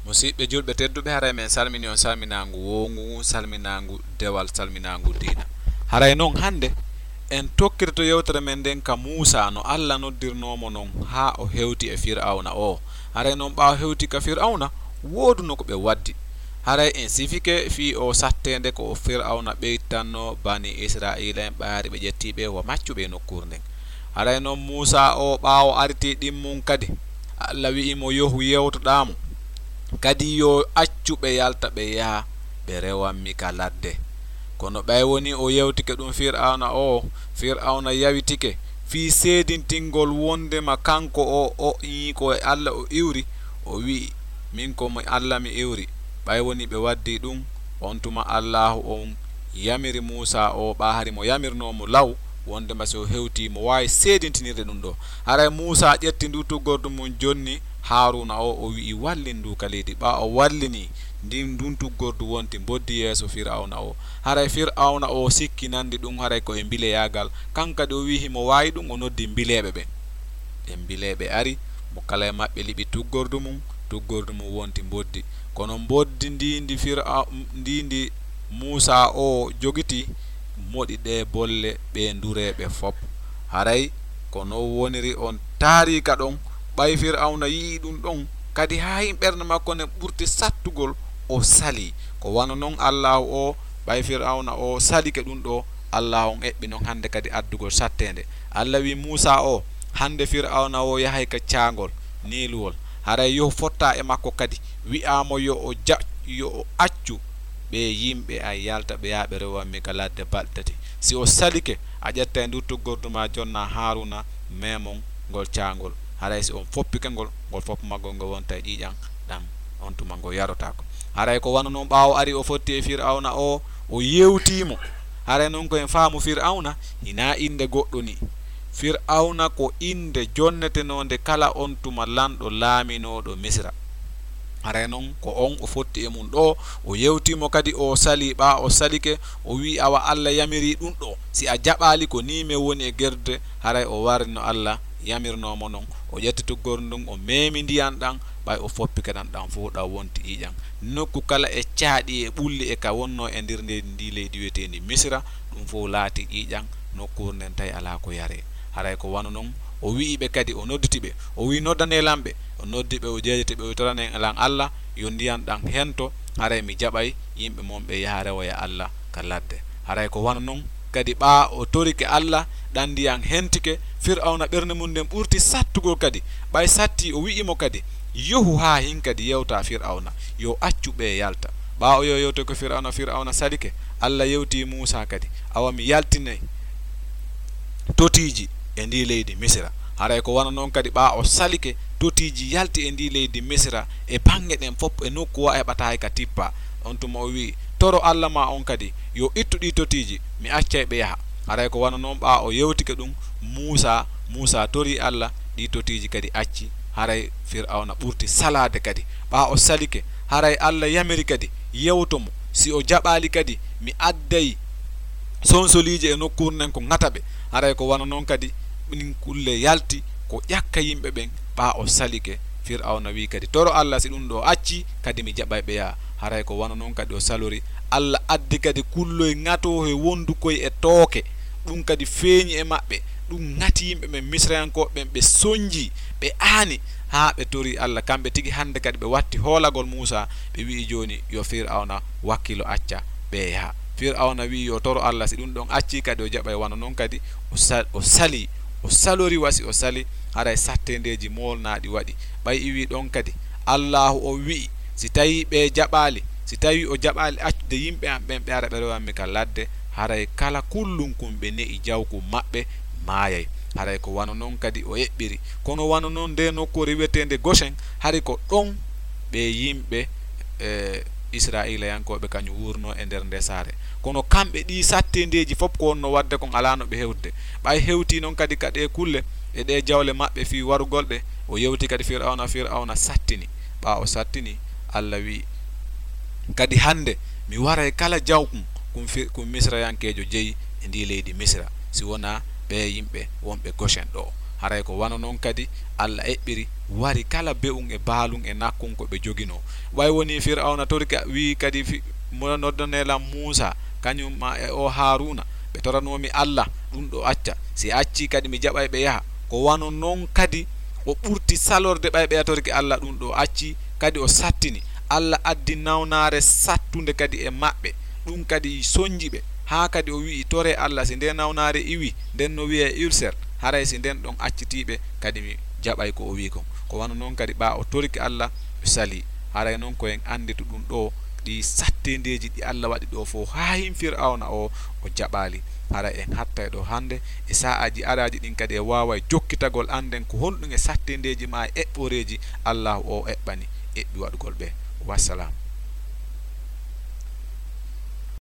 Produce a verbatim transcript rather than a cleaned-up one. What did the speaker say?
Musiɓɓe julɓe tedduɓe, haray men salmini on salminaangu woongu, salminaangu dewal, salminaangu diina. Haray non hannde en tokkirto yewtere men nden ka Muusa, no Alla noddirnoo mo non haa o hewti e Fir'awna o. Haray non ɓaawo hewti ka Fir'awna, wooduno ko ɓe waddi. Haray en sifike fii o satteende ko o Fir'awna ɓeytannoo bani Isra'iila en ɓaari ɓe ƴettii ɓe wa maccuɓe e nokkuure nden. Haray non Muusa o ɓaawo aritii ɗimmun kadi, Alla wi'i mo, "Yohu yewtoɗaa mo, kadi yo accu ɓe yalta ɓe yaha ɓe rewan mi ka ladde." Kono ɓay wonii o yewtike ɗun Fir'awna o, Fir'awna yawitike fii seedintingol wondema kanko o, o ii ko e Alla o iwri, o wi'i, "Min ko mi Alla mi iwri." Ɓay wonii ɓe waddii ɗun, on tuma Allaahu on yamiri Muusa o, ɓaa hari mo yamirnoo mo law, wondema si o hewtii mo waawi seedintinirde ɗun ɗoo. Haray Muusa ƴetti nduu tuggordu mun jonni Haaruuna o, o wi'i, "Wallin ndu ka leydi." Ɓaa o wallinii ndin, ndun tuggordu wonti mboddi yeeso Fir'awna o. Haray Fir'awna o sikkinandi ɗun haray ko e mbileyaagal. Kan kadi o wi'i himo waawi ɗun, o noddi mbileeɓe ɓen. Ɗen mbileeɓe ari, mo kala e maɓɓe liɓi tuggordu mun, tuggordu mun wonti mboddi. Kono mboddi ndi ndi Fir'a-, ndi ndi Muusa o jogiti, moɗi ɗee bolle ɓee ndureeɓe fop. Haray ko non woniri on taariika ɗon, ɓay Fir'awna yi'i ɗun ɗon, kadi haa hin ɓernde makko nden ɓurti sattugol, o salii. Ko wano non Allaahu o, ɓay Fir'awna o salike ɗun ɗoo, Allaahu on eɓɓi non hannde kadi addugol satteende. Alla wi'i Muusa o, "Hannde Fir'awna o yahay ka caangol Niiluwol. Haray yo fotta e makko kadi, wi'aa mo yo o ja-, yo o accu ɓee yimɓe an yalta ɓe yaha ɓe rewan mi ka ladde balɗe tati. Si o salike, a ƴettay nduu tuggordu maa jonnaa Haaruuna, meemon ngol caangol. Haray si on foppike ngol, ngol foppu maggol ngol wonta e ƴiiƴan ɗan, on tuma ngol yarotaako." Haray ko wano non ɓaawo ari o fotti e Fir'awna o, o yewtii mo. Haray non ko en faamu Fir'awna hinaa innde goɗɗo nii. Fir'awna ko innde jonnetenoonde kala on tuma lanɗo laaminooɗo Misira. Haray non ko on o fotti e mun ɗoo, o yewtii mo kadi o salii, ɓaa o salike, o wi'i, "Awa Alla yamirii ɗun ɗoo, si a jaɓaali ko nii men woni e gerdude." Haray o warri no Alla yamirnoo mo non, o ƴetti tuggordu ndun, o meemi ndiyan ɗan, ɓay o foppike ɗan, ɗan fow ɗan wonti ƴiiƴan. Nokku kala e caaɗi e ɓulli e ka wonnoo e nder ndii leydi wi'eteendi Misira, ɗun fow laati ƴiiƴan, nokkuure nden tawi alaa ko yaree. Haray ko wano non o wi'i ɓe kadi, o nodditi ɓe, o wi'i, "Noddanee lan ɓe." O noddi ɓe, o jeejiti ɓe, o wi'i, "Toranee lan Alla, yo ndiyan ɗan hento, haray mi jaɓay yimɓe mon ɓe yaha rewoya Alla ka ladde." Haray ko wano non kadi, ɓaa o torike Alla, ɗan ndiyan hentike, Fir'awna ɓernde mun nden ɓurti sattugol kadi. Ɓay satti, o wi'i mo kadi, "Yohu haa hin kadi yewtaa Fir'awna, yo accu ɓee yalta." Ɓaa o yo yewtoyi ko Fir'awna, Fir'awna salike, Alla yewtii Muusa kadi, "Awa mi yaltinay totiiji e ndii leydi Misira." Haray ko wano non kadi, ɓaa o salike, totiiji yalti e ndii leydi Misira e baŋŋe ɗen fop, e nokku wa heɓataa hay ka tippaa. On tuma o wi'i, "Toro Alla maa on kadi, yo ittu ɗii totiiji, mi accay ɓe yaha." Haray ko wano non, ɓaa o yewtike ɗun Muusa, Muusa torii Alla, ɗii totiiji kadi acci. Haray Fir'awna ɓurti salaade kadi. Ɓaa o salike, haray Alla yamiri kadi, yewto mo. Si o jaɓaali kadi, mi adday sonsoliije e nokkuure nden ko ŋata ɓe. Haray ko wano non kadi, ɗin kulle yalti ko ƴakka yimɓe ɓen, ɓaa o salike. Fir'awna wi'i kadi, "Toro Alla, si ɗun ɗoo acci, kadi mi jaɓay ɓe yaha." Haray ko wano non kadi o salori. Alla addi kadi kulloy ŋatoohe wondukoy e tooke. Ɗun kadi feeñi e maɓɓe. Ɗun ŋati yimɓe ɓen, Misirayankooɓe ɓen, ɓe sonjii, ɓe aani, haa ɓe torii Alla. Kamɓe tigi hande kadi ɓe watti hoolagol Muusa, ɓe wi'i, "Jooni yo Fir'awna wakkilo acca ɓe yaha." Fir'awna wi'i yo toro Alla, si ɗun ɗon accii kadi o jaɓay. Wano non kadi o sa-, o salii, o salori wa si o sali, haray satteendeeji moolnaaɗi waɗi. Ɓay iwii ɗon kadi, Allaahu o wi'i, si tawii ɓe jaɓaali, si tawii o jaɓaali accude yimɓe am ɓen ɓe ara ɓe rewan mi ka ladde, haray kala kullunkun ɓe ne'i jawkun maɓɓe maayay. Haray ko wano non kadi o eɓɓiri. Kono wano non nde nokkuure wi'eteende Gosen, hari ko ɗon ɓe yimɓe, e, Isra'iilayankooɓe kañun wuurnoo e nder ndee saare. Kono kamɓe ɗii satteendeeji fof ko wonnoo waɗde kon alaa no ɓe hewtude. Ɓay hewtii non kadi ka ɗee kulle e ɗee jawle maɓɓe fii warugol ɗe, o yewti kadi Fir'awna, Fir'awna sattini. Ɓaa o sattini, Alla wi'i, "Kadi hande mi waray kala jawkun kun fi-, kun Misirayankeejo jeyi e ndii leydi Misira, si wonaa ɓee yimɓe wonɓe Gosen ɗoo." Haray ko wano non kadi Allah eɓɓiri wari kala be'un e baalun e nakkun ko ɓe joginoo. Way wonii Fir'awna torike, wi'i kadi, fi-, mo noddanee lan Muusaa, kañum ma e oo Haaruuna, ɓe toranoo mi Allah, ɗun ɗoo acca. Si accii kadi mi jaɓay ɓe yaha. Ko wano non kadi o ɓurti salorde ɓay ɓe yatorike Allah, ɗun ɗoo accii, kadi o sattini. Allah addi nawnaare sattunde kadi e maɓɓe, ɗun kadi sonji ɓe, haa kadi o wi'i, toree Allah, si ndee nawnaare iwii, nden no wi'ee ulcère, haray si nden ɗon accitii ɓe, kadi mi jaɓay ko o wi'i kon. Ko wano non kadi ɓaa o torike Allah, o salii. Haray non ko en annditu ɗun ɗoo, ɗii satteendeeji ɗi Allah waɗi ɗoo fow, haa hin Fir'awna oo, o jaɓaali. Haray en hattay ɗoo hannde, e sa'aaji araaji ɗin kadi e waaway jokkitagol annden ko honɗun e satteendeeji maa e eɓɓoreeji Allaahu oo eɓɓani, eɓɓi waɗugol ɓe. Wassalam.